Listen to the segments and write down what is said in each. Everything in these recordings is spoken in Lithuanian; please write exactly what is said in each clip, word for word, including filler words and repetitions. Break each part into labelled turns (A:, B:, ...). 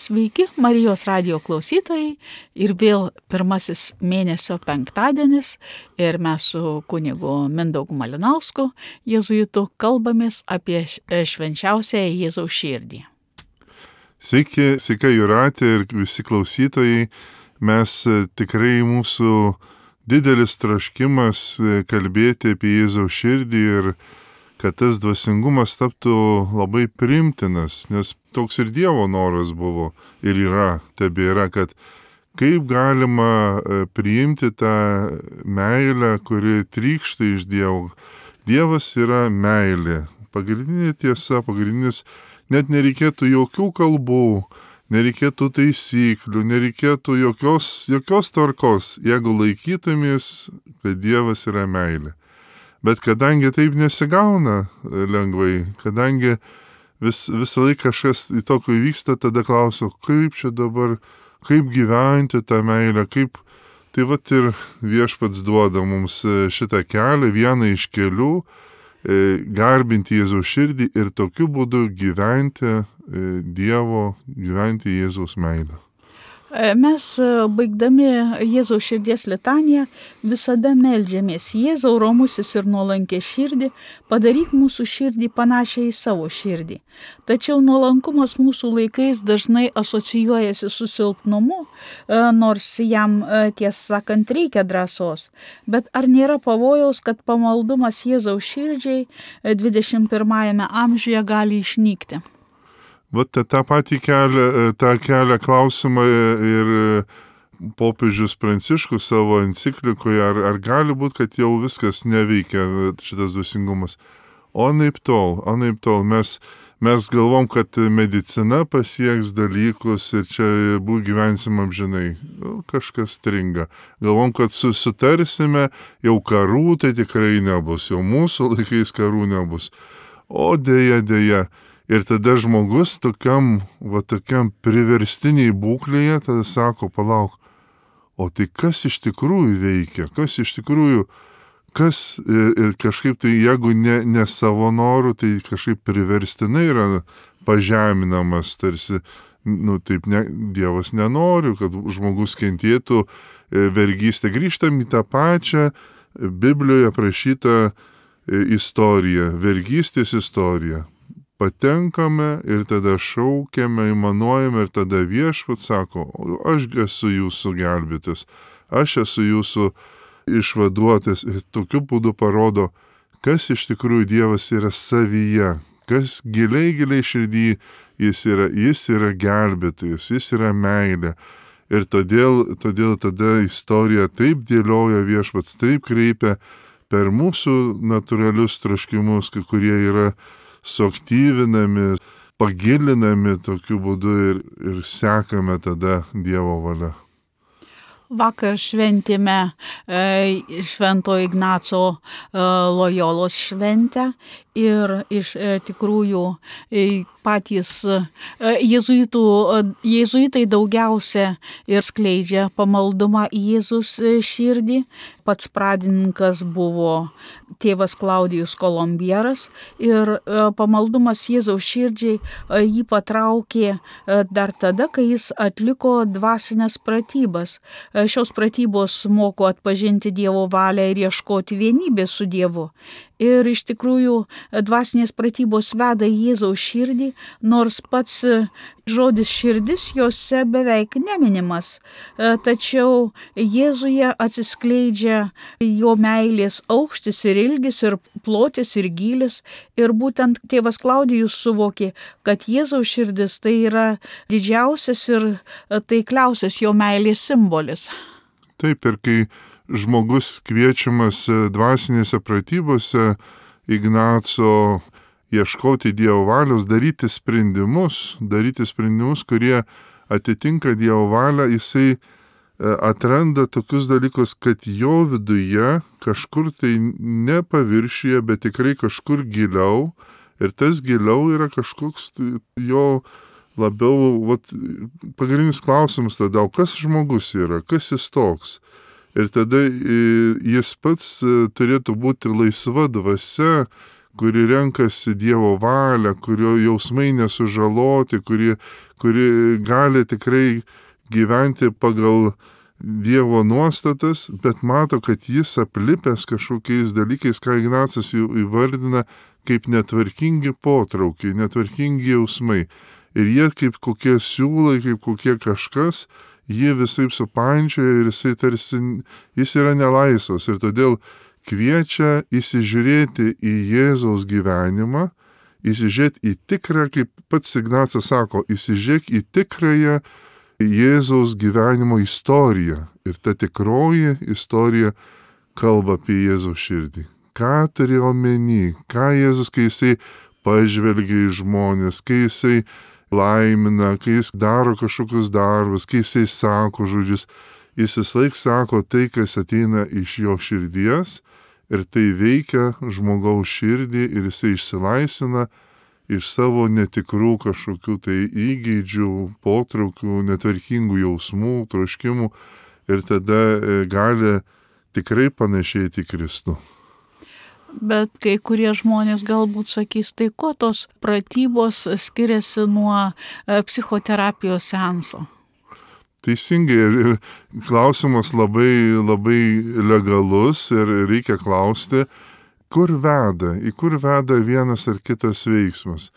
A: Sveiki, Marijos radijo klausytojai, ir vėl pirmasis mėnesio penktadienis ir mes su kunigu Mindaugu Malinausku, jėzuitu, kalbamės apie švenčiausiąją Jėzaus širdį.
B: Sveiki, sveika Jūratė ir visi klausytojai. Mes tikrai mūsų didelis troškimas kalbėti apie Jėzaus širdį ir kad tas dvasingumas taptų labai priimtinas, nes toks ir Dievo noras buvo ir yra, tebėra, kad kaip galima priimti tą meilę, kuri trykšta iš Dievo. Dievas yra meilė, pagrindinė tiesa, pagrindinis, net nereikėtų jokių kalbų, nereikėtų taisyklių, nereikėtų jokios, jokios tvarkos, jeigu laikytumės, kad Dievas yra meilė. Bet kadangi taip nesigauna lengvai, kadangi vis, visą laiką kažkas į tokio įvyksta, tada klausiu, kaip čia dabar, kaip gyventi tą meilę, kaip... Tai vat ir Viešpats duoda mums šitą kelią, vieną iš kelių, garbinti Jėzaus širdį ir tokiu būdu gyventi Dievo, gyventi Jėzaus meilę.
A: Mes, baigdami Jėzaus širdies litaniją, visada meldžiamės: Jėzau, romusis ir nuolankė širdį, padaryk mūsų širdį panašią į savo širdį. Tačiau nuolankumas mūsų laikais dažnai asocijuojasi su silpnumu, nors jam, tiesą sakant, reikia drąsos. Bet ar nėra pavojaus, kad pamaldumas Jėzaus širdžiai dvidešimt pirmajame amžiuje gali išnykti?
B: Vat tą patį kelią, tą kelią klausimą ir popiežius Pranciškus savo enciklikoje, ar, ar gali būti, kad jau viskas neveikia šitas dvasingumas. O naip tol, o naip tol, mes, mes galvom, kad medicina pasieks dalykus ir čia bū gyvensim amžinai. Kažkas stringa. Galvom, kad susitarsime, jau karų tai tikrai nebus, jau mūsų laikais karų nebus. O dėja, dėja. Ir tada žmogus tokiam, va tokiam priverstiniai būklėje, tada sako, palauk, o tai kas iš tikrųjų veikia, kas iš tikrųjų, kas ir, ir kažkaip tai, jeigu ne, ne savo norų, tai kažkaip priverstinai yra pažeminamas, tarsi, nu taip, ne, Dievas nenori, kad žmogus kentėtų vergystę. Grįžtam į tą pačią Biblijoje aprašytą istoriją, vergystės istoriją. Patenkame ir tada šaukiame, įmanuojame ir tada Viešpats sako, aš esu jūsų gelbėtas, aš esu jūsų išvaduotas ir tokiu būdu parodo, kas iš tikrųjų Dievas yra savyje, kas giliai, giliai širdį jis yra, jis yra gelbėtojas, jis yra meilė. Ir todėl, todėl tada istorija taip dėlioja Viešpats, taip kreipia per mūsų natūralius troškimus, kurie yra suaktyvinami, pagilinami tokiu būdu ir, ir sekame tada Dievo valia.
A: Vakar šventėme e, Švento Ignaco e, Lojolos šventę ir iš e, tikrųjų e, patys e, jėzuitų, e, jėzuitai daugiausia ir skleidžia pamaldumą į Jėzus širdį. Pats pradininkas buvo tėvas Klaudijus Kolombieras ir e, pamaldumas Jėzaus širdžiai e, jį patraukė e, dar tada, kai jis atliko dvasinės pratybas. E, šios pratybos moko atpažinti Dievo valią ir ieškoti vienybės su Dievu. Ir iš tikrųjų dvasinės pratybos veda į Jėzaus širdį, nors pats žodis širdis jose beveik neminimas. Tačiau Jėzuje atsiskleidžia jo meilės aukštis ir ilgis, ir plotis, ir gylis. Ir būtent tėvas Klaudijus suvokė, kad Jėzaus širdis tai yra didžiausias ir taikliausias jo meilės simbolis.
B: Taip, ir kai žmogus kviečiamas dvasinėse pratybose Ignaco ieškoti Dievo valios, daryti sprendimus, daryti sprendimus, kurie atitinka Dievo valią, jisai atranda tokius dalykus, kad jo viduje kažkur tai ne paviršyje, bet tikrai kažkur giliau, ir tas giliau yra kažkoks jo labiau, vat, pagrindinis klausimas tada, o kas žmogus yra, kas jis toks? Ir tada jis pats turėtų būti laisva dvasia, kuri renkasi Dievo valią, kurio jausmai nesužaloti, kuri, kuri gali tikrai gyventi pagal Dievo nuostatas, bet mato, kad jis aplipęs kažkokiais dalykais, ką Ignacas įvardina kaip netvarkingi potraukiai, netvarkingi jausmai. Ir jie kaip kokie siūlai, kaip kokie kažkas, jie visai supančioja ir jisai tarsi, jis yra nelaisvas. Ir todėl kviečia įsižiūrėti į Jėzaus gyvenimą, įsižiūrėti į tikrą, kaip pats Ignacas sako, įsižiūrėk į tikrąją Jėzaus gyvenimo istoriją. Ir ta tikroji istorija kalba apie Jėzaus širdį. Ką turėjo omeny, ką Jėzus, kai jisai pažvelgia į žmonės, kai jisai laimina, kai jis daro kažkokius darbus, kai jisai sako žodžius, jis vislaik sako tai, kas ateina iš jo širdies ir tai veikia žmogaus širdį ir jisai išsilaisvina iš savo netikrų kažkokių tai įgeidžių, potraukių, netvarkingų jausmų, troškimų ir tada gali tikrai panašėti į Kristų.
A: Bet kai kurie žmonės galbūt sakys, tai kuo tos pratybos skiriasi nuo psichoterapijos seanso?
B: Teisingai, ir klausimas labai, labai legalus ir reikia klausti, kur veda, į kur veda vienas ar kitas veiksmas.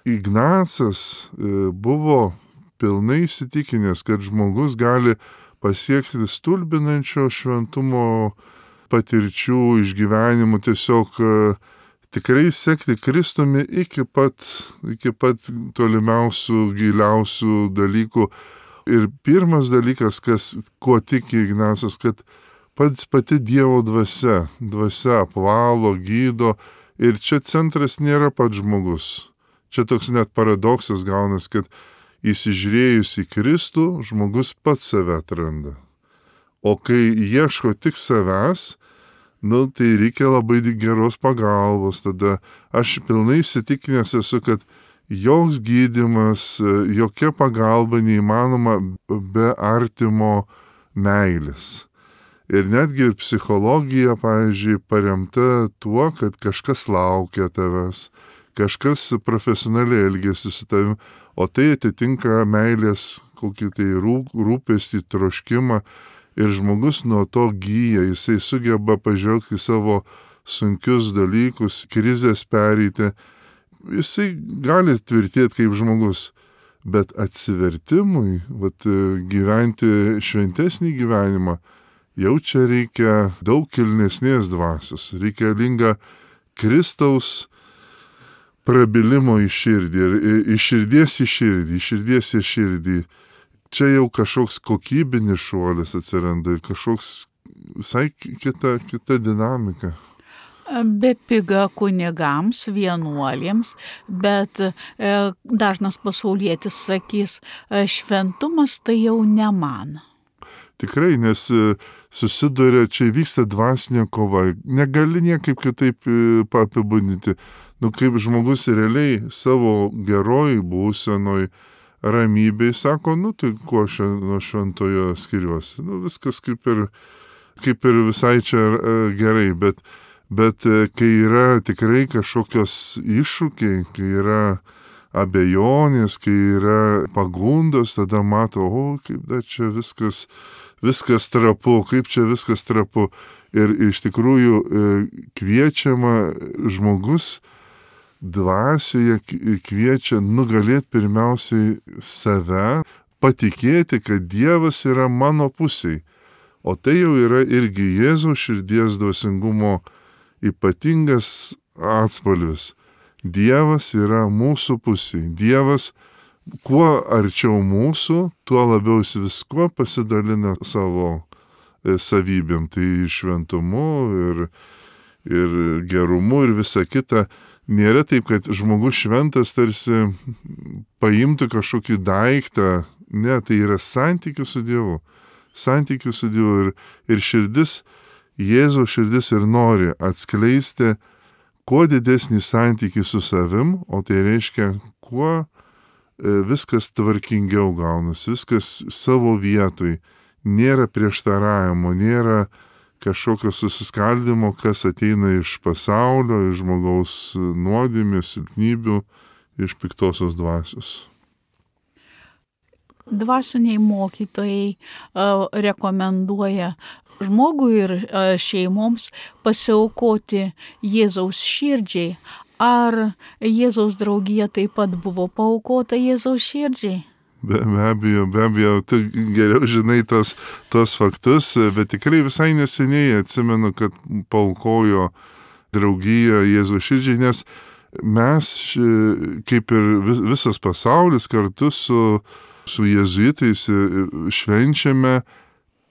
B: Ignacas buvo pilnai įsitikinęs, kad žmogus gali pasiekti stulbinančio šventumo patirčių, išgyvenimų, tiesiog tikrai sekti Kristumi iki pat, iki pat tolimiausių, giliausių dalykų. Ir pirmas dalykas, kas, kuo tiki Ignacas, kad pats pati Dievo dvasia, dvasia apvalo, gydo ir čia centras nėra pats žmogus. Čia toks net paradoksas gaunas, kad įsižiūrėjus į Kristų, žmogus pats save atranda. O kai ieško tik savęs, nu, tai reikia labai geros pagalbos. Tada aš pilnai įsitikinęs esu, kad joks gydymas, jokia pagalba neįmanoma be artimo meilės. Ir netgi ir psichologija, pavyzdžiui, paremta tuo, kad kažkas laukia tavęs, kažkas profesionaliai elgėsi su tavimi, o tai atitinka meilės kokį tai rūpestį, troškimą. Ir žmogus nuo to gyja, jisai sugeba pažvelgti į savo sunkius dalykus, krizės pereiti. Jisai gali tvirtėti kaip žmogus, bet atsivertimui, vat, gyventi šventesnį gyvenimą, jau čia reikia daug kilnesnės dvasios, reikalinga Kristaus prabilimo į širdį, ir iš širdies į širdį, iš širdies į širdį. Čia jau kažkoks kokybinis šuolis atsiranda, kažkoks visai kita, kita dinamika.
A: Bepiga kunigams, vienuolėms, bet e, dažnas pasaulietis sakys, šventumas tai jau ne man.
B: Tikrai, nes susiduria, čia vyksta dvasinė kova, negali niekaip kitaip apibūdinti. Nu, kaip žmogus realiai savo geroj būsenoj, ramybėj sako, nu tai kuo aš nuo šventojo skiriuosi. Nu viskas kaip ir, kaip ir visai čia gerai, bet, bet kai yra tikrai kažkokios iššūkiai, kai yra abejonės, kai yra pagundos, tada mato, o kaip dar čia viskas, viskas trapu, kaip čia viskas trapu. Ir iš tikrųjų kviečiama žmogus dvasioje kviečia nugalėti pirmiausiai save, patikėti, kad Dievas yra mano pusėj. O tai jau yra irgi Jėzaus širdies dvasingumo ypatingas atspalvis. Dievas yra mūsų pusėj. Dievas kuo arčiau mūsų, tuo labiau jis viskuo pasidalina savo savybėm. Tai šventumu ir, ir gerumu ir visa kita. Nėra taip, kad žmogus šventas tarsi paimtų kažkokį daiktą. Ne, tai yra santykis su Dievu. Santykis su Dievu. Ir, ir širdis, Jėzaus širdis ir nori atskleisti kuo didesnį santykį su savim, o tai reiškia, kuo viskas tvarkingiau gaunasi, viskas savo vietoj. Nėra prieštaravimo, nėra kažkokio susiskaldimo, kas ateina iš pasaulio, iš žmogaus nuodėmės, silpnybių, iš piktosios dvasios.
A: Dvasiniai mokytojai uh, rekomenduoja žmogui ir uh, šeimoms pasiaukoti Jėzaus širdžiai. Ar Jėzaus draugija taip pat buvo paaukota Jėzaus širdžiai?
B: Be, be abejo, be abejo, tu geriau žinai tos, tos faktus, bet tikrai visai neseniai atsimenu, kad paaukojo draugija Jėzaus širdžiai, nes mes, kaip ir vis, visas pasaulis, kartu su, su jėzuitais švenčiame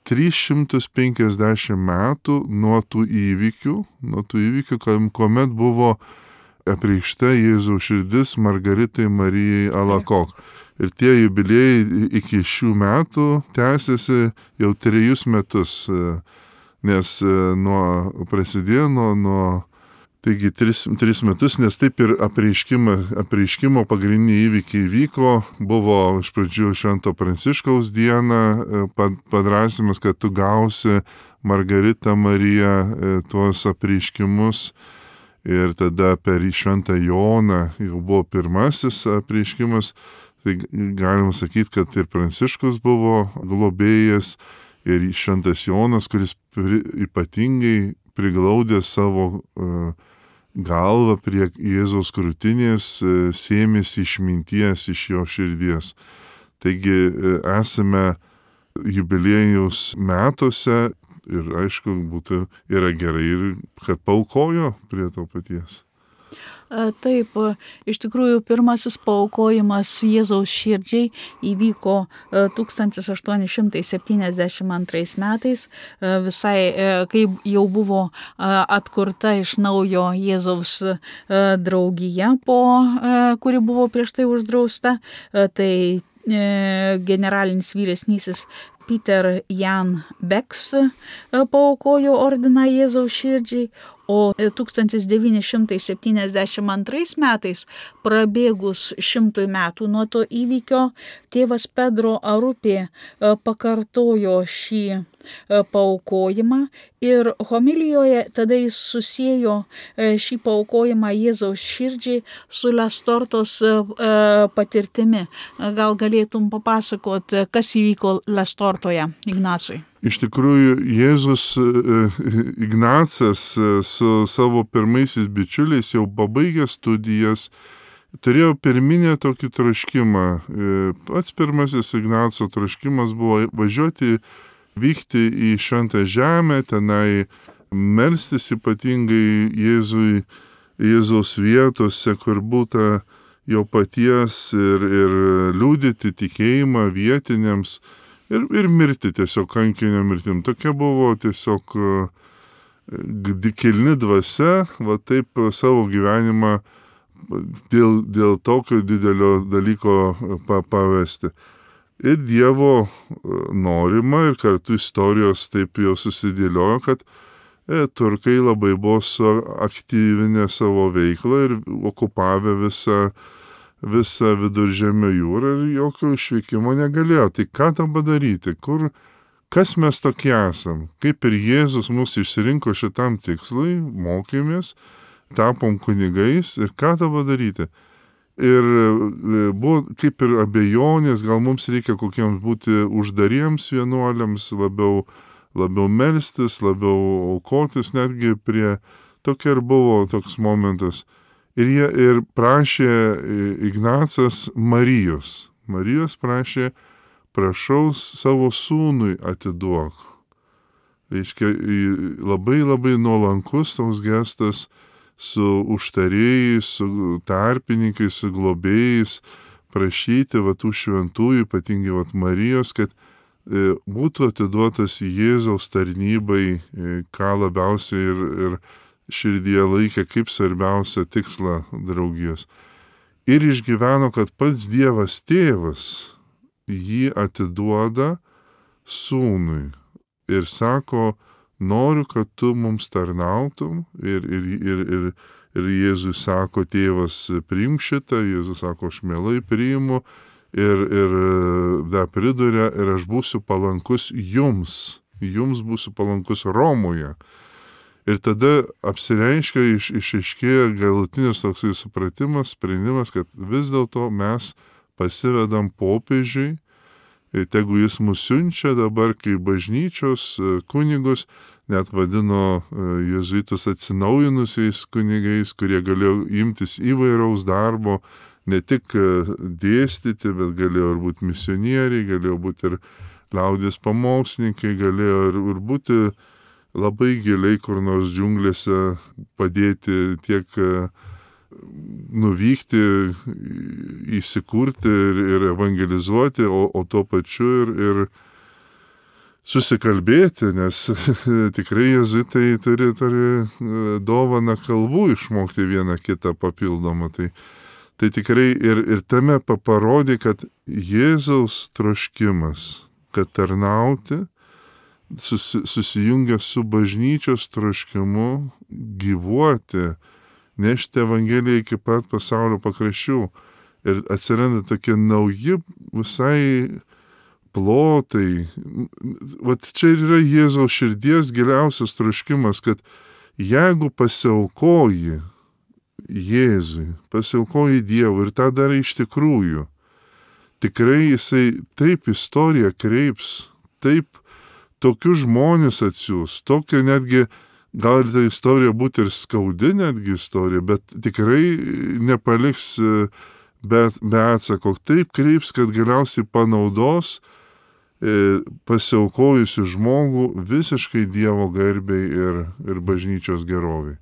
B: tris šimtus penkiasdešimt metų nuo tų įvykių, nuo tų įvykių, kuomet buvo apreikšta Jėzaus širdis Margaritai Marijai Alakok. Ir tie jubiliejai iki šių metų tęsiasi jau trejus metus, nes nuo prasidėjo nuo, nuo taigi tris, tris metus, nes taip ir apreiškimo, apreiškimo pagrindiniai įvykiai vyko, buvo iš pradžių Švento Pranciškaus diena, padrasymas, kad tu gausi Margaritą Mariją tuos apreiškimus. Ir tada per Šventą Joną jau buvo pirmasis apreiškimas, tai galima sakyti, kad ir Pranciškus buvo globėjas, ir Šventas Jonas, kuris pri, ypatingai priglaudė savo uh, galvą prie Jėzaus krūtinės, uh, sėmėsi išminties iš jo širdies. Taigi uh, esame jubiliejaus metuose. Ir aišku, būtų yra gerai, ir kad paaukojo prie to paties.
A: Taip, iš tikrųjų pirmasis paaukojimas Jėzaus širdžiai įvyko tūkstantis aštuoni šimtai septyniasdešimt antrais metais, visai kai jau buvo atkurta iš naujo Jėzaus draugija, po, kuri buvo prieš tai uždrausta. Tai generalinis vyresnysis Peter Jan Beks paaukojo ordiną Jėzaus širdžiai, o tūkstantis devyni šimtai septyniasdešimt antrais metais, prabėgus šimtui metų nuo to įvykio, tėvas Pedro Arupė pakartojo šį paaukojimą ir homilijoje tada jis susiejo šį paaukojimą Jėzaus širdžiai su Lestortos patirtimi. Gal galėtum papasakoti, kas įvyko Lestortoje, Ignacui?
B: Iš tikrųjų, Jėzus Ignacas su savo pirmaisiais bičiuliais jau pabaigęs studijas turėjo pirminę tokį troškimą. Pats pirmasis Ignaco troškimas buvo važiuoti, vykti į Šventą Žemę, tenai melstis ypatingai Jėzui, Jėzaus vietose, kur būta jo paties, ir, ir liudyti tikėjimą vietiniams. Ir, ir mirti tiesiog kankinio mirtim. Tokia buvo tiesiog kilni dvasia, va taip savo gyvenimą dėl, dėl tokio didelio dalyko pa, pavesti. Ir Dievo norima, ir kartu istorijos taip jau susidėliojo, kad e, turkai labai buvo suaktyvinę savo veiklą ir okupavę visą visą Viduržemio jūrą ir jokio išvykimo negalėjo. Tai ką tam padaryti? Kur, kas mes tokie esam? Kaip ir Jėzus mus išsirinko šitam tikslui, mokėmės, tapom kunigais ir ką tam padaryti? Ir buvo kaip ir abejonės, gal mums reikia kokiems būti uždariems vienuoliams, labiau, labiau melstis, labiau aukotis, netgi prie tokia ir buvo toks momentas. Ir jie ir prašė Ignacas Marijos. Marijos prašė, prašau savo sūnui atiduok. Reiškia, labai labai nuolankus toks gestas su užtarėjais, su tarpininkais, su globėjais, prašyti va tų šventųjų, ypatingai va Marijos, kad e, būtų atiduotas Jėzaus tarnybai, e, ką labiausiai ir, ir širdyje laikė kaip svarbiausią tikslą draugijos. Ir išgyveno, kad pats Dievas tėvas jį atiduoda sūnui. Ir sako, noriu, kad tu mums tarnautum. Ir, ir, ir, ir, ir Jėzus sako, tėvas priimk šitą. Jėzus sako, aš mielai priimu. Ir, ir dar priduria, ir aš būsiu palankus jums. jums būsiu palankus Romoje. Ir tada apsireiškia, iš, išaiškėja galutinis toksai supratimas, sprendimas, kad vis dėlto mes pasivedam popiežiui, ir tegu jis mus siunčia dabar kaip bažnyčios kunigus, net vadino jėzuitus atsinaujinusiais kunigais, kurie galėjo imtis įvairaus darbo, ne tik dėstyti, bet galėjo ir būti misionieriai, galėjo būti ir liaudės pamokslininkai, galėjo ir, ir būti labai giliai kur nors džiunglėse padėti tiek nuvykti, įsikurti ir, ir evangelizuoti, o, o tuo pačiu ir, ir susikalbėti, nes tikrai jėzuitai turi, turi dovaną kalbų išmokti vieną kitą papildomą. Tai, tai tikrai ir, ir tame parodė, kad Jėzaus troškimas, kad tarnauti, susi, susijungia su bažnyčios troškimu gyvuoti, nešti Evangeliją iki pat pasaulio pakraščių. Ir atsiranda tokie nauji visai plotai. Vat čia yra Jėzaus širdies giliausias troškimas, kad jeigu pasiaukoji Jėzui, pasiaukoji Dievui ir tą darai iš tikrųjų, tikrai jisai taip istoriją kreips, taip tokius žmonės atsiūs, tokia netgi gal ta istorija būti ir skaudi netgi istorija, bet tikrai nepaliks be, be atsako. Taip kreips, kad galiausiai panaudos e, pasiaukojusių žmogų visiškai Dievo garbei ir, ir bažnyčios geroviai.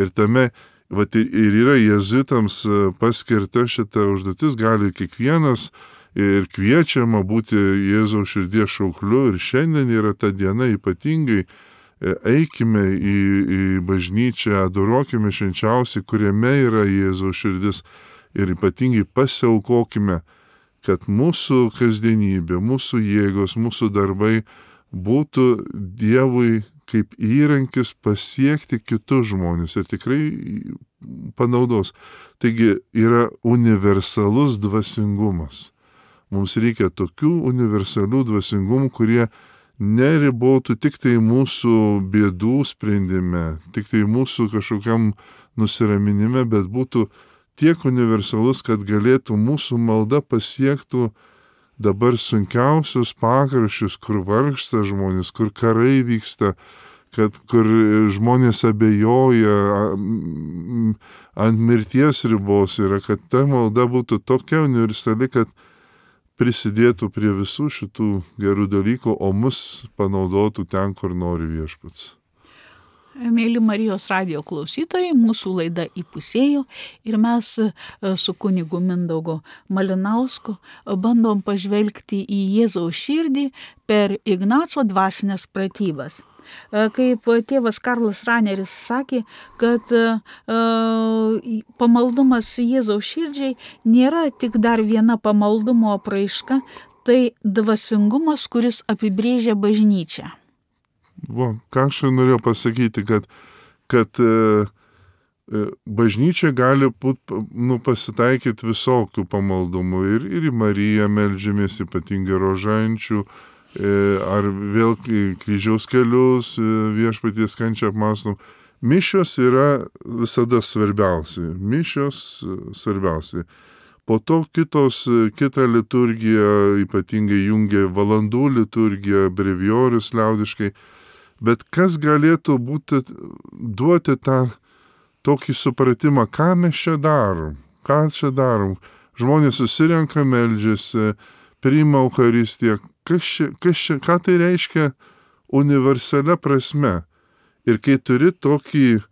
B: Ir tame, vat, ir yra jėzuitams paskirta šita užduotis, gali kiekvienas ir kviečiama būti Jėzaus širdies šaukliu, ir šiandien yra ta diena ypatingai. Eikime į, į bažnyčią, adoruokime švenčiausiai, kuriame yra Jėzaus širdis, ir ypatingai pasiaukokime, kad mūsų kasdienybė, mūsų jėgos, mūsų darbai būtų Dievui kaip įrankis pasiekti kitus žmonės ir tikrai panaudos. Taigi yra universalus dvasingumas. Mums reikia tokių universalių dvasingumų, kurie neribotų tik tai mūsų bėdų sprendime, tik tai mūsų kažkokiam nusiraminime, bet būtų tiek universalus, kad galėtų mūsų malda pasiektų dabar sunkiausius pakraščius, kur vargsta žmonės, kur karai vyksta, kad kur žmonės abejoja, ant mirties ribos yra, kad ta malda būtų tokia universali, kad prisidėtų prie visų šitų gerų dalykų, o mus panaudotų ten, kur nori Viešpats.
A: Mėly Marijos radijo klausytojai, mūsų laida įpusėjo ir mes su kunigu Mindaugu Malinausku bandom pažvelgti į Jėzaus širdį per Ignaco dvasinės pratybas. Kaip tėvas Karlas Raneris sakė, kad pamaldumas Jėzaus širdžiai nėra tik dar viena pamaldumo apraiška, tai dvasingumas, kuris apibrėžia bažnyčią.
B: Va, ką aš norėjau pasakyti, kad, kad e, bažnyčia gali būt, nu, pasitaikyti visokių pamaldumų, ir, ir į Mariją meldžiamės, ypatingai rožančių, ar vėl kryžiaus kelius, Viešpaties kančią apmąstom. Mišios yra visada svarbiausi. Mišios svarbiausi. Po to kitos, kita liturgija ypatingai jungia valandų liturgiją, brevijorius liaudiškai. Bet kas galėtų būti, duoti tą tokį supratimą, ką mes čia darom, ką čia darom. Žmonės susirenka, meldžiasi, priima Eucharistiją. Kas čia, kas čia, ką tai reiškia universalia prasme? Ir kai turi tokį e,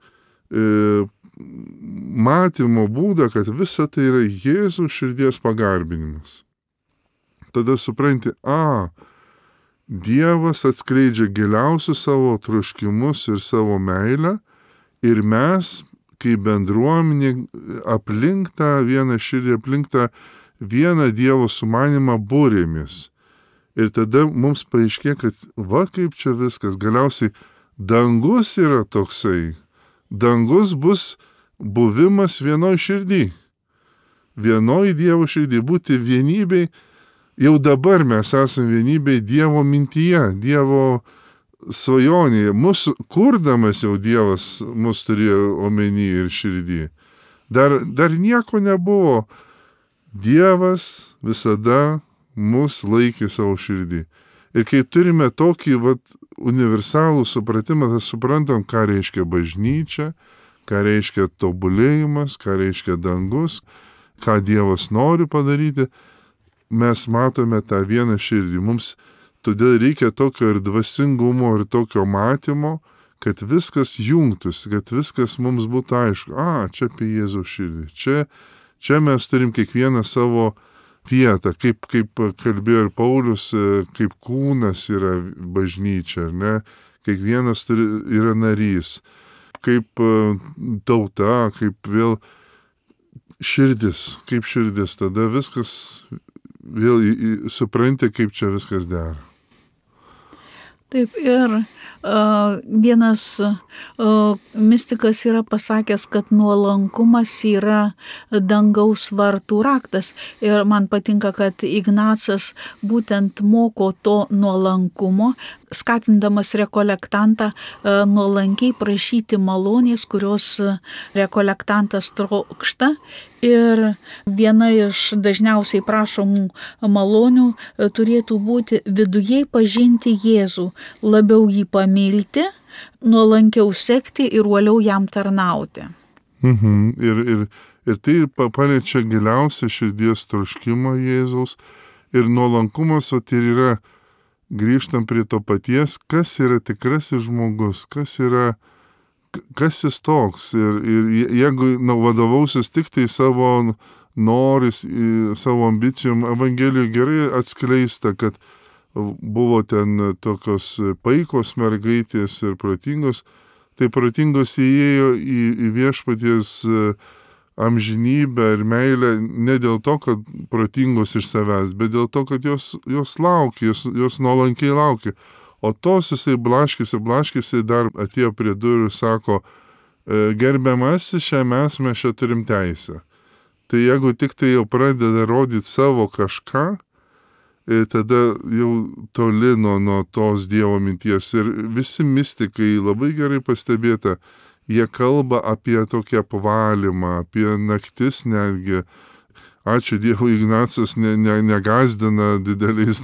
B: matymo būdą, kad visa tai yra Jėzaus širdies pagarbinimas, tada supranti, a, Dievas atskleidžia giliausius savo troškimus ir savo meilę, ir mes, kaip bendruomenė, aplink tą vieną širdį, aplink tą vieną Dievo sumanimą būrėmis. Ir tada mums paaiškė, kad va kaip čia viskas, galiausiai dangus yra toksai. Dangus bus buvimas vienoj širdį. Vienoj Dievo širdį, būti vienybei. Jau dabar mes esame vienybei Dievo mintyje, Dievo svajonėje, mūsų kurdamas jau Dievas mus turėjo omeny ir širdį. Dar, dar nieko nebuvo. Dievas visada mus laikė savo širdį. Ir kai turime tokį vat, universalų supratimą, tai suprantam, ką reiškia bažnyčia, ką reiškia tobulėjimas, ką reiškia dangus, ką Dievas nori padaryti, mes matome tą vieną širdį. Mums todėl reikia tokio ir dvasingumo, ir tokio matymo, kad viskas jungtųsi, kad viskas mums būtų aišku. A, čia apie Jėzaus širdį. Čia, čia mes turim kiekvieną savo vietą, kaip, kaip kalbėjo ir Paulius, kaip kūnas yra bažnyčia, ar ne? Kiekvienas turi, yra narys, kaip tauta, kaip vėl širdis, kaip širdis. Tada viskas vėl supranti, kaip čia viskas dera.
A: Taip, ir uh, vienas uh, mistikas yra pasakęs, kad nuolankumas yra dangaus vartų raktas. Ir man patinka, kad Ignacas būtent moko to nuolankumo, skatindamas rekolektantą uh, nuolankiai prašyti malonės, kurios rekolektantas trokšta. Ir viena iš dažniausiai prašomų malonių turėtų būti viduje pažinti Jėzų, labiau jį pamilti, nuolankiau sekti ir uoliau jam tarnauti.
B: Mhm. Ir, ir, ir tai paliečia giliausią širdies troškimą Jėzaus. Ir nuolankumas, o tai yra, grįžtam prie to paties, kas yra tikrasis žmogus, kas yra kas jis toks. Ir, ir jeigu na, vadovausis tik tai savo noris, savo ambicijom, Evangelijoje gerai atskleista, kad buvo ten tokios paikos mergaitės ir protingos, tai protingos įėjo į, į viešpaties amžinybę ir meilę ne dėl to, kad protingos iš savęs, bet dėl to, kad jos, jos laukia, jos, jos nuolankiai laukia. O tos jisai blaškėsi, blaškėsi, dar atėjo prie durų ir sako, gerbiamasis, šią mes mes čia turim teisę. Tai jeigu tik tai jau pradeda rodyti savo kažką, tada jau toli nuo, nuo tos Dievo minties. Ir visi mistikai labai gerai pastebėta, jie kalba apie tokį apvalymą, apie naktis netgi. Ačiū Dievui, Ignacas ne, ne, negazdina dideliais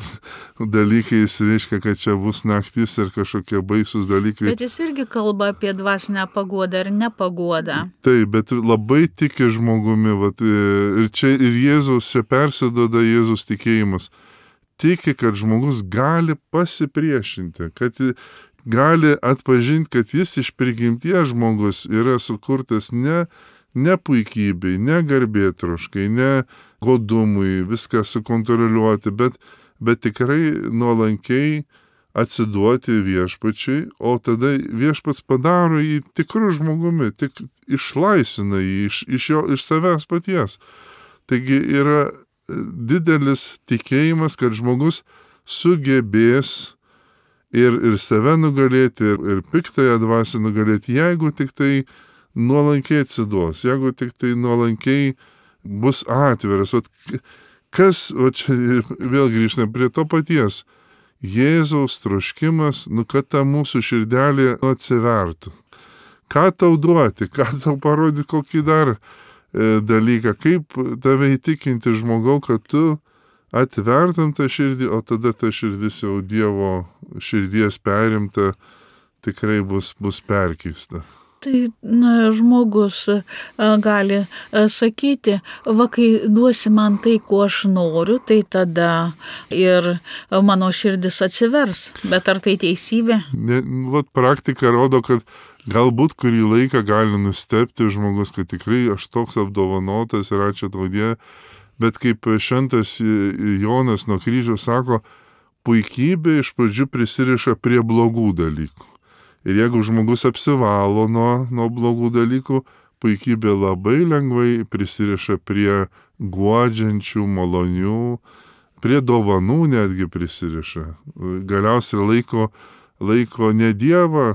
B: dalykais, reiškia, kad čia bus naktis ir kažkokie baisus dalykai.
A: Bet jis irgi kalba apie dvasinę paguodą ir nepaguodą.
B: Taip, bet labai tiki žmogumi. Vat, ir čia ir Jėzaus, čia persiduoda Jėzaus tikėjimas. Tiki, kad žmogus gali pasipriešinti, kad gali atpažinti, kad jis iš prigimties žmogus yra sukurtas ne Ne puikybei, ne garbėtroškai, ne godumui, viską sukontroliuoti, bet, bet tikrai nuolankiai atsiduoti viešpačiui, o tada viešpats padaro jį tikrų žmogumi, tik išlaisvina jį iš, iš, jo, iš savęs paties. Taigi yra didelis tikėjimas, kad žmogus sugebės ir, ir save nugalėti, ir, ir piktąją dvasią nugalėti, jeigu tik tai nuolankiai atsiduos, jeigu tik tai nuolankiai bus atviras. O kas, o čia vėl grįžtame prie to paties, Jėzaus troškimas, nu kad ta mūsų širdelė atsivertų. Ką tau duoti, ką tau parodyti, kokį dar e, dalyką, kaip tave įtikinti žmogau, kad tu atvertum tą širdį, o tada ta širdis jau Dievo širdies perimta tikrai bus, bus perkeista.
A: Tai na, žmogus a, gali a, sakyti, va kai duosi man tai, ko aš noriu, tai tada ir mano širdis atsivers. Bet ar tai teisybė?
B: Ne, vat praktika rodo, kad galbūt kurį laiką gali nustebti žmogus, kad tikrai aš toks apdovanotas ir ačiū tau Dieve, bet kaip šventas Jonas nuo kryžiaus sako, puikybė iš pradžių prisiriša prie blogų dalykų. Ir jeigu žmogus apsivalo nuo, nuo blogų dalykų, puikybė labai lengvai prisiriša prie guodžiančių, malonių, prie dovanų netgi prisiriša. Galiausiai laiko, laiko ne Dievą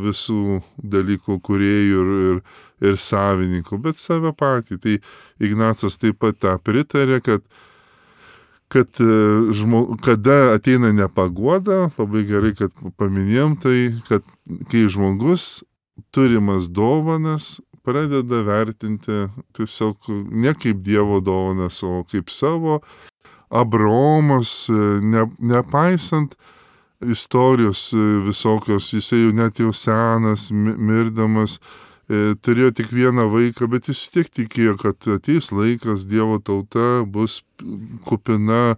B: visų dalykų kūrėjų ir, ir, ir savininkų, bet save patį. Tai Ignacas taip pat tą pritarė, kad kad žmo, kada ateina nepaguoda, labai gerai, kad paminėjom tai, kad kai žmogus turimas dovanas pradeda vertinti tiesiog ne kaip Dievo dovanas, o kaip savo, Abraomas, ne, nepaisant istorijos visokios, jisai jau net jau senas, mirdamas, turėjo tik vieną vaiką, bet jis tiek tikėjo, kad ateis laikas, Dievo tauta bus kupina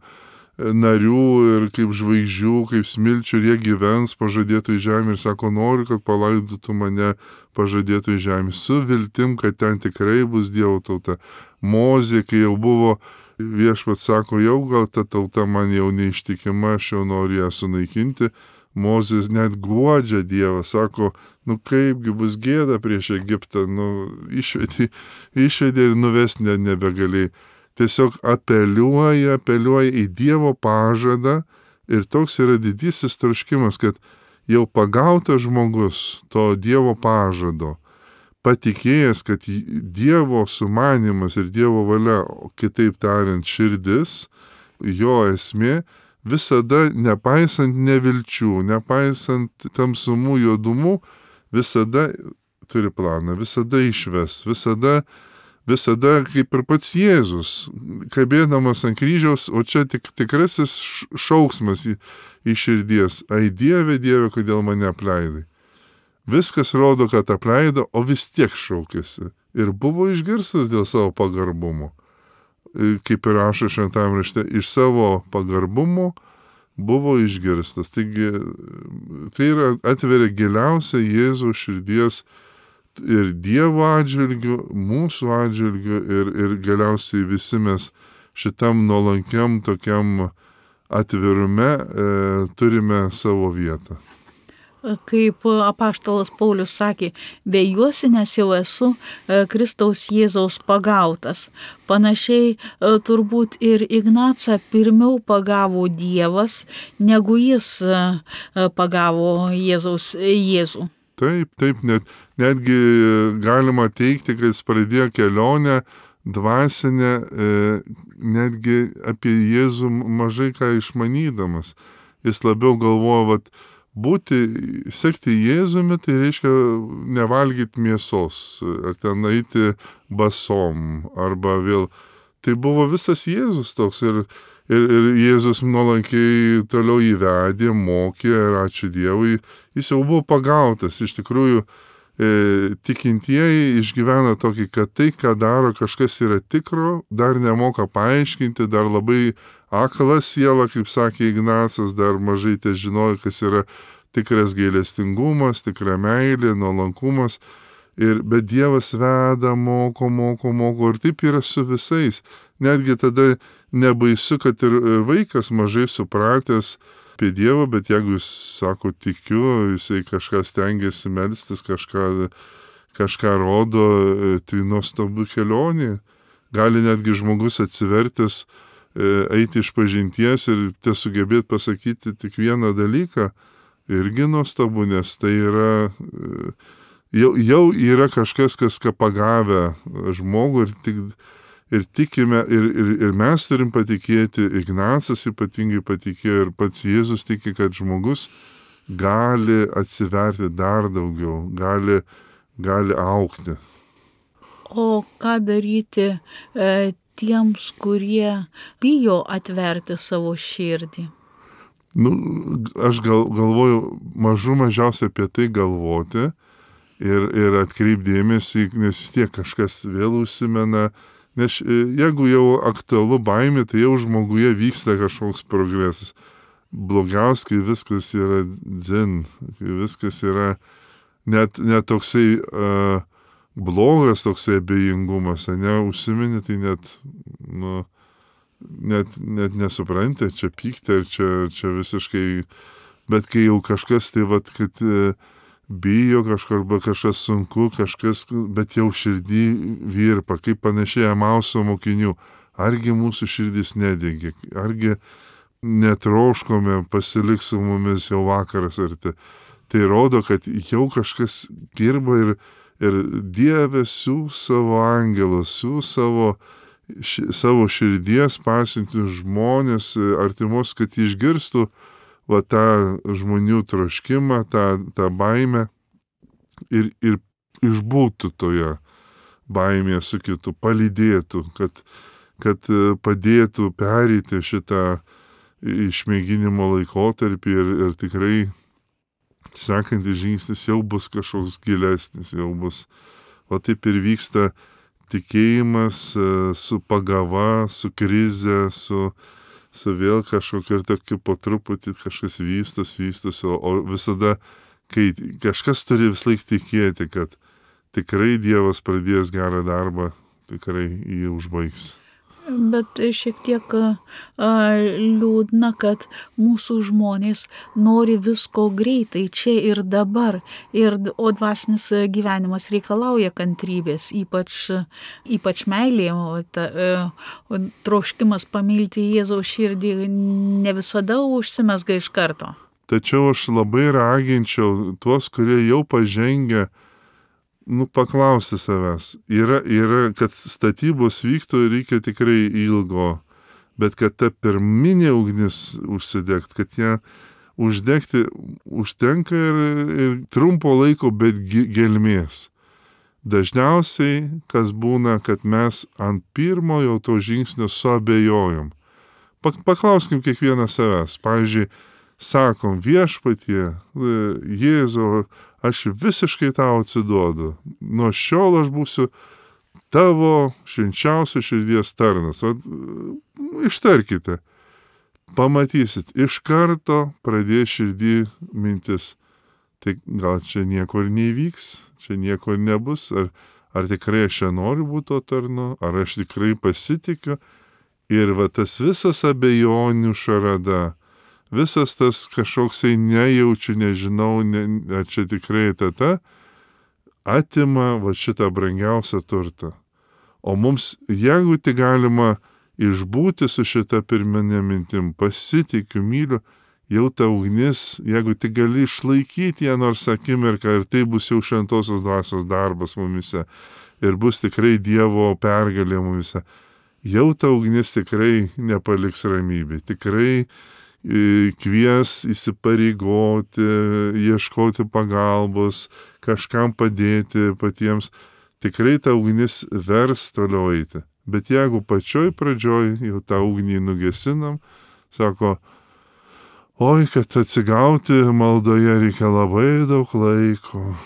B: narių ir kaip žvaigždžių, kaip smilčių, ir jie gyvens pažadėtoj žemė ir sako, noriu, kad palaidotų mane pažadėtoj žemė, su viltim, kad ten tikrai bus Dievo tauta. Mozė, kai jau buvo, viešpats sako, jau gal ta tauta man jau neištikima, aš jau noriu ją sunaikinti. Mozės net guodžia Dievą, sako, nu kaipgi bus gėda prieš Egiptą, nu išvedė, išvedė ir nuvesti ne, nebegalėjai. Tiesiog apeliuoja, apeliuoja į Dievo pažadą ir toks yra didysis troškimas, kad jau pagautas žmogus to Dievo pažado, patikėjęs, kad Dievo sumanimas ir Dievo valia, kitaip tariant, širdis, jo esmė, visada, nepaisant nevilčių, nepaisant tamsumų, juodumų, visada turi planą, visada išves, visada, visada kaip ir pats Jėzus, kabėdamas ant kryžiaus, o čia tik tikrasis šauksmas į, į širdies. Ai Dieve, Dieve, kodėl mane apleidai? Viskas rodo, kad apleido, o vis tiek šaukėsi. Ir buvo išgirstas dėl savo pagarbumo. Kaip ir rašo šventajame rašte, iš savo pagarbumo buvo išgirstas. Taigi, tai yra atveria giliausia Jėzaus širdies ir Dievo atžvilgių, mūsų atžvilgių ir, ir galiausiai visi mes šitam nuolankiam tokiam atvirume e, turime savo vietą.
A: Kaip apaštalas Paulius sakė, vėjuosi, nes jau esu Kristaus Jėzaus pagautas. Panašiai turbūt ir Ignacą pirmiau pagavo Dievas, negu jis pagavo Jėzaus Jėzų.
B: Taip, taip, net, netgi galima teikti, kad jis pradėjo kelionę dvasinę, netgi apie Jėzų mažai ką išmanydamas. Jis labiau galvoja, vat, būti, sekti Jėzumi, tai reiškia nevalgyti mėsos, ar ten eiti basom, arba vėl. Tai buvo visas Jėzus toks ir, ir, ir Jėzus nuolankiai toliau įvedė, mokė ir ačiū Dievui, jis jau buvo pagautas. Iš tikrųjų, e, tikintieji išgyvena tokį, kad tai, ką daro, kažkas yra tikro, dar nemoka paaiškinti, dar labai akla siela, kaip sakė Ignacas, dar mažai te žinojo, kas yra tikras gailestingumas, tikra meilė, nuolankumas. Ir, bet Dievas veda, moko, moko, moko. Ir taip yra su visais. Netgi tada nebaisu, kad ir vaikas mažai supratęs apie Dievą, bet jeigu jis sako tikiu, jisai kažką stengiasi melstis, kažką, kažką rodo, tai nuostabu kelionė. Gali netgi žmogus atsivertęs eiti iš pažinties ir tesugebėti pasakyti tik vieną dalyką, irgi nuostabu, nes tai yra, jau, jau yra kažkas, kas ką pagavę žmogų ir, tik, ir tikime, ir, ir, ir mes turim patikėti, Ignacas ypatingai patikėjo ir pats Jėzus tiki, kad žmogus gali atsiverti dar daugiau, gali, gali augti.
A: O ką daryti e, tiems, kurie bijo atverti savo širdį?
B: Nu, aš gal, galvoju mažų mažiausiai apie tai galvoti ir, ir atkreipdėmėsi, nes tiek kažkas vėl užsimena, nes jeigu jau aktualu baimė, tai jau žmoguje vyksta kažkoks progresas. Blogiausia, kai viskas yra dzin, kai viskas yra net, net toksai uh, blogas toksai abejingumas, ne, užsiminė, tai net, nu, net, net nesupranti, čia pykti, ar čia, čia visiškai, bet kai jau kažkas tai, vat, kad bijo kažko, arba kažkas sunku, kažkas, bet jau širdį virpa, kaip panašiai Emauso mokinių, argi mūsų širdis nedegė, argi netroškome pasiliks su mumis jau vakaras arti. Tai rodo, kad jau kažkas dirba ir Ir Dieve siūs savo angelus, siūs savo ši, savo širdies pasiunti žmonės artimos, kad išgirstų va tą žmonių troškimą, tą, tą baimę ir, ir išbūtų toje baimėje su kitu, palydėtų, kad, kad padėtų pereiti šitą išmėginimo laikotarpį ir, ir tikrai sekantis žingsnis jau bus kažkoks gilesnis, jau bus, o taip ir vyksta tikėjimas su pagava, su krize, su, su vėl kažkokia ir tokia po truputį kažkas vystos, vystos, o, o visada, kai kažkas turi vis laik tikėti, kad tikrai Dievas pradės gerą darbą, tikrai jį užbaigs.
A: Bet šiek tiek a, liūdna, kad mūsų žmonės nori visko greitai, čia ir dabar. Ir, o dvasinis gyvenimas reikalauja kantrybės, ypač, ypač meilė, o ta, o troškimas pamilti Jėzaus širdį ne visada užsimezga iš karto.
B: Tačiau aš labai raginčiau tuos, kurie jau pažengia, nu, paklausti savęs. Yra, yra, kad statybos vyktų, reikia tikrai ilgo, bet kad ta pirminė ugnis užsidegt, kad ją uždegti užtenka ir, ir trumpo laiko, bet gelmės. Dažniausiai, kas būna, kad mes ant pirmojo to žingsnio suabejojom. Paklauskim kiekvieną savęs. Pavyzdžiui, sakom, Viešpatie, Jėzau, aš visiškai tau atsiduodu. Nuo šiol aš būsiu tavo švenčiausio širdies tarnas. O, ištarkite. Pamatysit, iš karto pradės širdį mintis. Tai gal čia nieko ir neįvyks, čia nieko ir nebus. Ar, ar tikrai aš čia noriu būti to tarnu, ar aš tikrai pasitikiu. Ir va tas visas abejonių šarada, visas tas kažkoksai nejaučiu, nežinau, ne, ar čia tikrai tata, atima va šitą brangiausią turtą. O mums, jeigu tik galima išbūti su šita pirminė mintim, pasitikiu, myliu, jau ta ugnis, jeigu tik gali išlaikyti ją nors akimirką, ir tai bus jau šventosios dvasios darbas mumise, ir bus tikrai Dievo pergalė mumise, jau ta ugnis tikrai nepaliks ramybė, tikrai kvies įsipareigoti, ieškoti pagalbos, kažkam padėti patiems. Tikrai ta ugnis vers toliau eiti. Bet jeigu pačioj pradžioj jau tą ugnį nugesinam, sako, oi, kad atsigauti maldoje reikia labai daug laiko.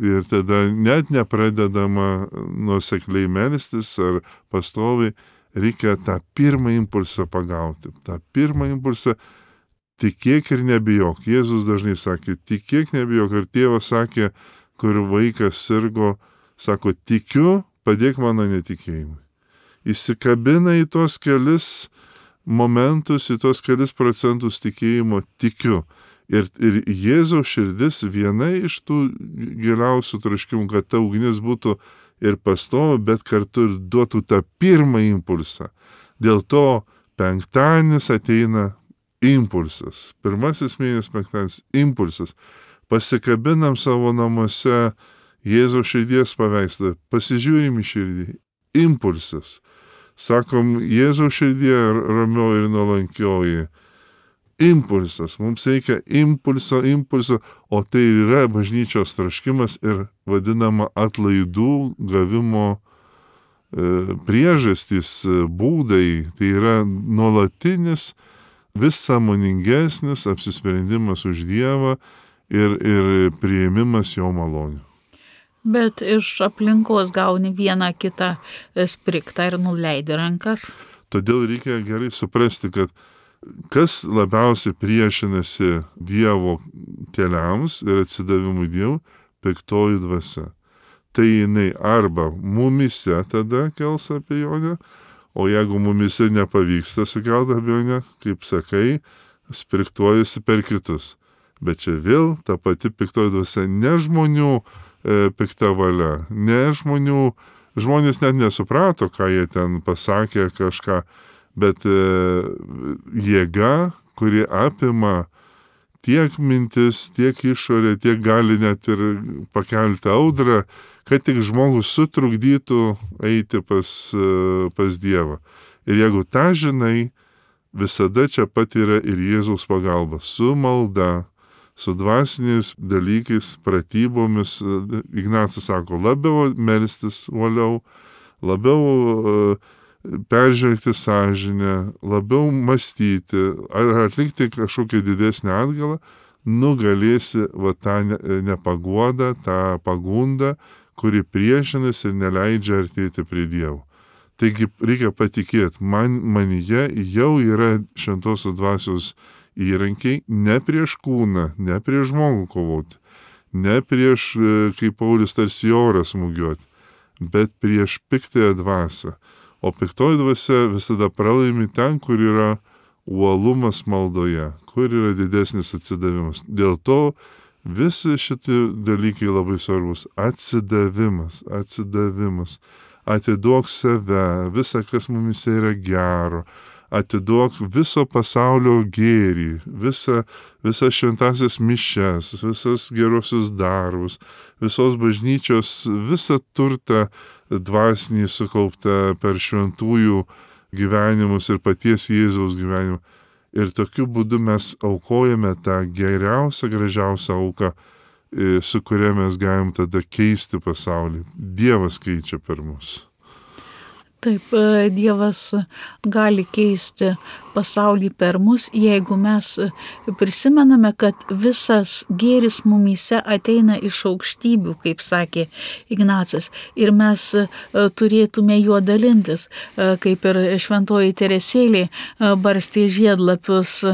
B: Ir tada net nepradedama nuosekliai melstis ar pastoviai, reikia tą pirmą impulsą pagauti. Ta pirmą impulsą tikėk ir nebijok. Jėzus dažnai sakė, tikėk, nebijok. Ir tėvas sakė, kur vaikas sirgo, sako, tikiu, padėk mano netikėjimui. Įsikabina į tos kelis momentus, į tos kelis procentus tikėjimo, tikiu. Ir, ir Jėzaus širdis viena iš tų giliausių troškimų, kad ta ugnis būtų ir pastovi, bet kartu ir duotų tą pirmą impulsą. Dėl to penktadienis ateina impulsas. Pirmasis mėnesis penktadienis impulsas. Pasikabinam savo namuose Jėzaus širdies paveikslą, pasižiūrim į širdį. Impulsas. Sakom, Jėzaus širdie ramioji ir nuolankioji. Impulsas. Mums reikia impulso, impulso, o tai yra bažnyčios troškimas ir vadinama atlaidų gavimo e, priežastys, būdai. Tai yra nuolatinis, vis sąmoningesnis apsisprendimas už Dievą ir, ir priėmimas jo malonių.
A: Bet iš aplinkos gauni vieną kitą spriktą ir nuleidi rankas.
B: Todėl reikia gerai suprasti, kad kas labiausiai priešinasi Dievo keliams ir atsidavimui Dievui, piktoji dvasia. Tai jinai arba mumise tada kels abejonę, o jeigu mumise nepavyksta sukelti abejonę, kaip sakai, spriktuojasi per kitus. Bet čia vėl ta pati piktoji dvasia, ne žmonių e, pikta valia, ne žmonių, žmonės net nesuprato, ką jie ten pasakė kažką, bet e, jėga, kuri apima tiek mintis, tiek išorė, tiek gali net ir pakelti audrą, kad tik žmogus sutrukdytų eiti pas, pas Dievą. Ir jeigu tą žinai, visada čia pat yra ir Jėzaus pagalba. Su malda, su dvasiniais dalykais, pratybomis. Ignacas sako, labiau melstis uoliau, labiau peržvelgti sąžinę, labiau mąstyti, ar atlikti kažkokią didesnį atgalą, nugalėsi va tą nepaguodą, tą pagundą, kuri priešinasi ir neleidžia artėti prie Dievo. Taigi reikia patikėti, man, manyje jau yra šventosios dvasios įrankiai ne prieš kūną, ne prieš žmogų kovoti, ne prieš, kaip Paulius, tarsi orą smūgiuoti, bet prieš piktąją dvasią. O piktoji dvasia visada pralaimi ten, kur yra uolumas maldoje, kur yra didesnis atsidavimas. Dėl to visi šitie dalykai labai svarbus. Atsidavimas, atsidavimas. Atiduok save, visa, kas mumise yra gero. Atiduok viso pasaulio gėrį, visa, visas šventasias mišes, visas gerosius darbus, visos bažnyčios, visą turtą dvasinį sukauptą per šventųjų gyvenimus ir paties Jėzaus gyvenimą. Ir tokiu būdu mes aukojame tą geriausią, gražiausią auką, su kuria mes galim tada keisti pasaulį. Dievas keičia per mus.
A: Taip, Dievas gali keisti pasaulį per mus, jeigu mes prisimename, kad visas gėris mumyse ateina iš aukštybių, kaip sakė Ignacas, ir mes turėtume juo dalintis, kaip ir šventoji Teresėlė barstė žiedlapius,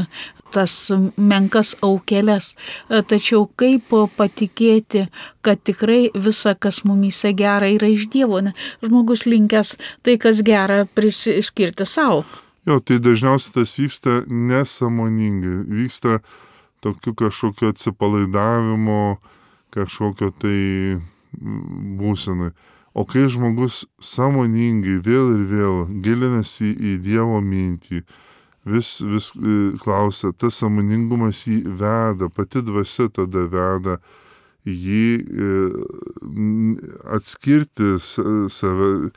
A: tas menkas aukeles. Tačiau kaip patikėti, kad tikrai visa, kas mumyse gera, yra iš Dievo, ne? Žmogus linkęs tai, kas gera, priskirti savo.
B: Jo, tai dažniausiai tas vyksta nesąmoningai, vyksta tokiu kažkokio atsipalaidavimo, kažkokio tai būsenai. O kai žmogus sąmoningai vėl ir vėl gilinasi į Dievo mintį, vis, vis klausia, tas sąmoningumas jį veda, pati dvasia tada veda jį atskirti save.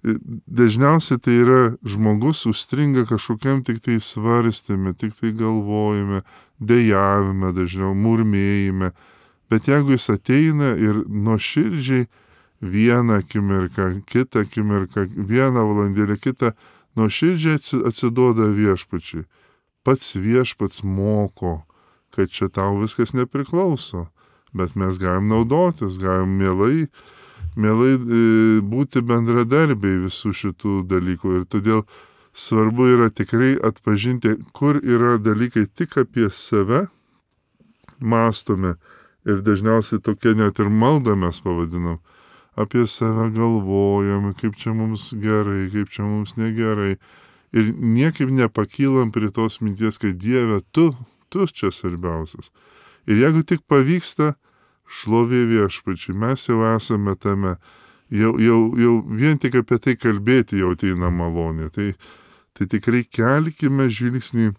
B: Dažniausiai tai yra žmogus užstringa kažkokiam tik tai svarstyme, tik tai galvojime, dejavime, dažniau murmėjime. Bet jeigu jis ateina ir nuoširdžiai vieną akimirką, kitą akimirką, vieną valandėlę, kitą, nuoširdžiai atsiduoda viešpačiui. Pats viešpats moko, kad čia tau viskas nepriklauso, bet mes galim naudotis, galim mielai, mielai būti bendradarbiai visų šitų dalykų. Ir todėl svarbu yra tikrai atpažinti, kur yra dalykai tik apie save mąstome. Ir dažniausiai tokia net ir maldą mes pavadinam. Apie save galvojam, kaip čia mums gerai, kaip čia mums negerai. Ir niekaip nepakylam prie tos minties, kad Dieve, tu, tu čia svarbiausias. Ir jeigu tik pavyksta, šlovė viešpačiui, mes jau esame tame. Jau, jau, jau vien tik apie tai kalbėti jau ateina malonė. Tai, tai tikrai kelkime žvilgsnį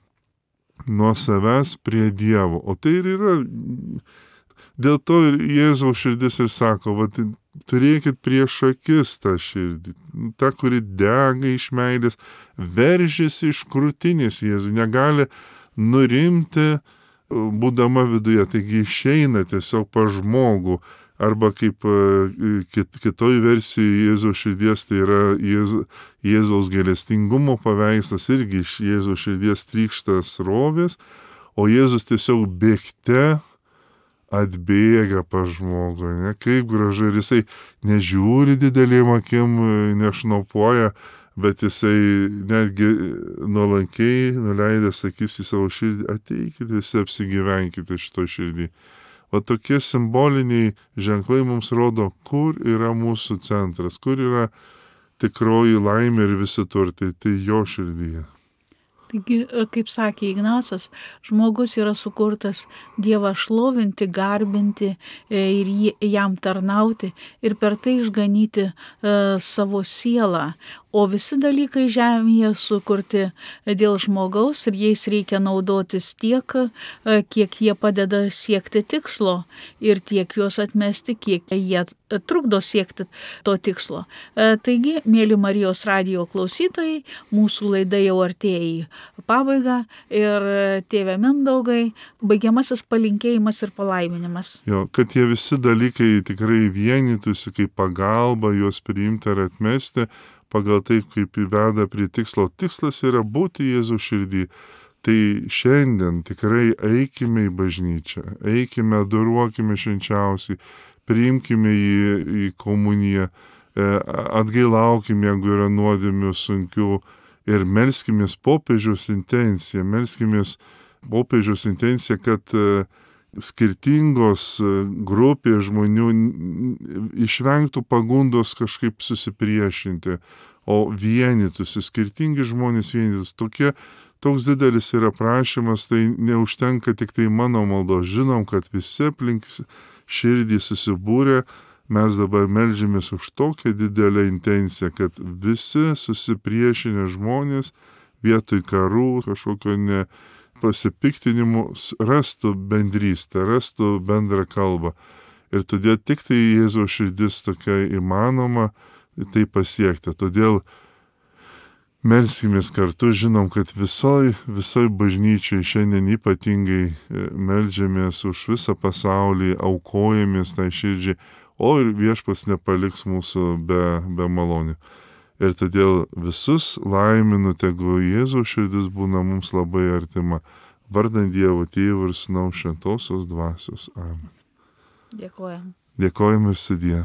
B: nuo savęs prie Dievo. O tai ir yra. Dėl to ir Jėzaus širdis ir sako, va, turėkit prieš akis tą širdį, tą, kuri dega iš meilės, veržiasi iš krūtinės Jėzų, negali nurimti, būdama viduje, taigi išeina tiesiog pa žmogų, arba kaip kit, kitoj versijoje Jėzaus širdies, tai yra Jėz, Jėzaus gailestingumo paveikslas, irgi iš Jėzaus širdies trykšta srovės, o Jėzus tiesiog bėgte atbėga pa žmogų, ne? Kaip gražu, ir jisai nežiūri didelėm akim, nešnopuoja, bet jisai netgi nuolankiai nuleidęs akis į savo širdį, ateikite visi, apsigyvenkite šito širdį. O tokie simboliniai ženklai mums rodo, kur yra mūsų centras, kur yra tikroji laimė ir visi turtai, tai jo širdyje.
A: Taigi, kaip sakė Ignacas, žmogus yra sukurtas Dievą šlovinti, garbinti ir jam tarnauti ir per tai išganyti savo sielą. O visi dalykai žemėje sukurti dėl žmogaus ir jais reikia naudotis tiek, kiek jie padeda siekti tikslo ir tiek juos atmesti, kiek jie trukdo siekti to tikslo. Taigi, mėly Marijos radijo klausytojai, mūsų laida jau artėja į pabaigą ir tėve Mindaugai, baigiamasis palinkėjimas ir palaiminimas.
B: Jo, kad tie visi dalykai tikrai vienytųsi kaip pagalba juos priimti ar atmesti, pagal tai, kaip įveda prie tikslo. Tikslas yra būti Jėzų širdį. Tai šiandien tikrai eikime į bažnyčią, eikime, adoruokime švenčiausiai, priimkime į, į komuniją, atgailaukime, jeigu yra nuodėmių sunkių ir melskimės popiežiaus intenciją, melskimės popiežiaus intenciją, kad skirtingos grupės žmonių išvengtų pagundos kažkaip susipriešinti, o vienytųsi, skirtingi žmonės vienytųsi. Tokie, toks didelis yra prašymas, tai neužtenka tik tai mano maldos. Žinom, kad visi aplink širdį susibūrė, mes dabar meldžiamės už tokią didelę intenciją, kad visi susipriešinę žmonės vietoj karų, kažkokio ne pasipiktinimų rastų bendrystę, rastų bendrą kalbą. Ir todėl tik tai Jėzaus širdis tokia įmanoma tai pasiekti. Todėl melskimės kartu, žinom, kad visoj, visoj bažnyčiai šiandien ypatingai meldžiamės už visą pasaulį, aukojamės tai širdžiai, o ir Viešpats nepaliks mūsų be, be malonių. Ir todėl visus laiminu, tegu Jėzaus širdis būna mums labai artima. Vardant Dievo Tėvo ir Sūnaus Šventosios Dvasios. Amen.
A: Dėkojam.
B: Dėkojame sudie.